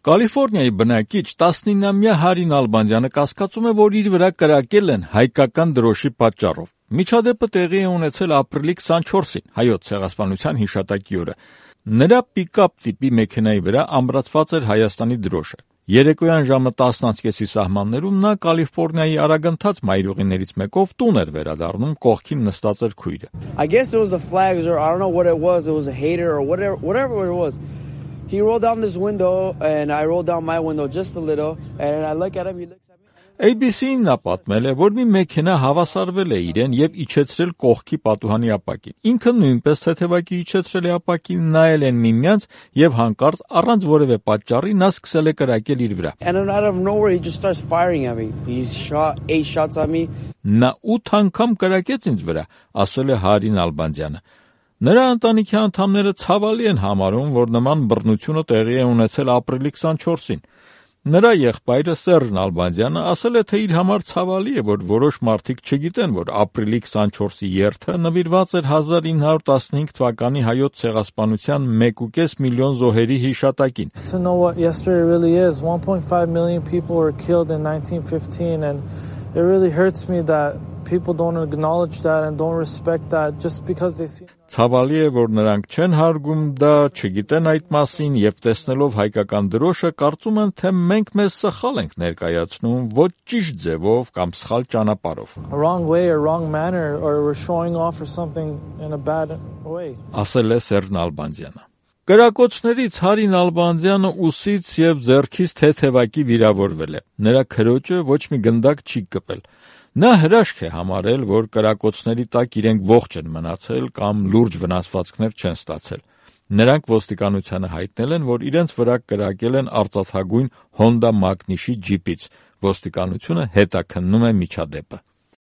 Կալիֆոռնիայի բնակիչ 19-ամյա Հարի Նալբանդյանը կասկածում է, որ իր վրա կրակել են հայկական դրոշի պատճառով։ Միջադեպը տեղի է ունեցել ապրիլի 24-ին, Հայոց ցեղասպանության հիշատակի օրը։ Նրա պիկապ տիպի մեքենայի վրա ամրացված էր Հայաստանի դրոշը։ Երեկոյան ժամը 10:30-ի սահմաններում նա Կալիֆոռնիայի արագընթաց մայրուղիներից մեկով տուն էր վերադառնում, կողքին նստած էր քույրը։ I guess it was the flags or I don't know what it was a hater or whatever it was. He rolled down this window and I rolled down my window just a little and I look at him, he looks at me. ABC-ին նա պատմել է, որ մի մեքենա հավասարվել է իրեն եւ իջեցրել կողքի պատուհանի ապակին։ Ինքը նույնպես թեթևակի իջեցրել է ապակին, նայել են միմյանց եւ հանկարծ առանց որևէ պատճառի նա սկսել է կրակել իր վրա։ And then out of nowhere he just starts firing at me. He shot 8 shots at me. Նա 8 անգամ կրակեց ինձ վրա, ասել է Հարի Նալբանդյանը։ Նրա ընտանիքի անդամները ցավալի են համարում, որ նման բռնությունը տեղի է ունեցել ապրիլի 24-ին։ Նրա եղբայրը Սերժ Նալբանդյանը ասել է, թե իր համար ցավալի է, որ որոշ մարդիկ չգիտեն, որ ապրիլի 24-ի երթը նվիրված էր 1915 թվականի հայոց ցեղասպանության 1.5 միլիոն զոհերի հիշատակին։ To know what yesterday really is, 1.5 million people were killed in 1915 and it really hurts me that people don't acknowledge that and don't respect that just because they see. Ցավալի է, որ նրանք չեն հարգում դա, չգիտեն այդ մասին եւ տեսնելով հայկական դրոշը կարծում են, թե մենք մեզ սխալ ենք ներկայացնում, ոչ ճիշտ ձևով կամ սխալ ճանապարհով։ A wrong way or wrong manner or we're showing off for something in a bad way. Ասել է Սերժ Նալբանդյանը։ Կրակոցներից Հարի Նալբանդյանը ուսից եւ ձեռքից թեթևակի վիրավորվել է։ Նրա քրոջը ոչ մի գնդակ չի կպել։ Նա հրաշք է համարել, որ կրակոցների տակ իրենք ողջ են մնացել կամ լուրջ վնասվածքներ չեն ստացել։ Նրանք ոստիկանությանը հայտնել են, որ իրենց վրա կրակել են արծաթագույն Honda Magnish-ի ջիպից։ Ոստիկանությունը հետաքննում է միջադեպը։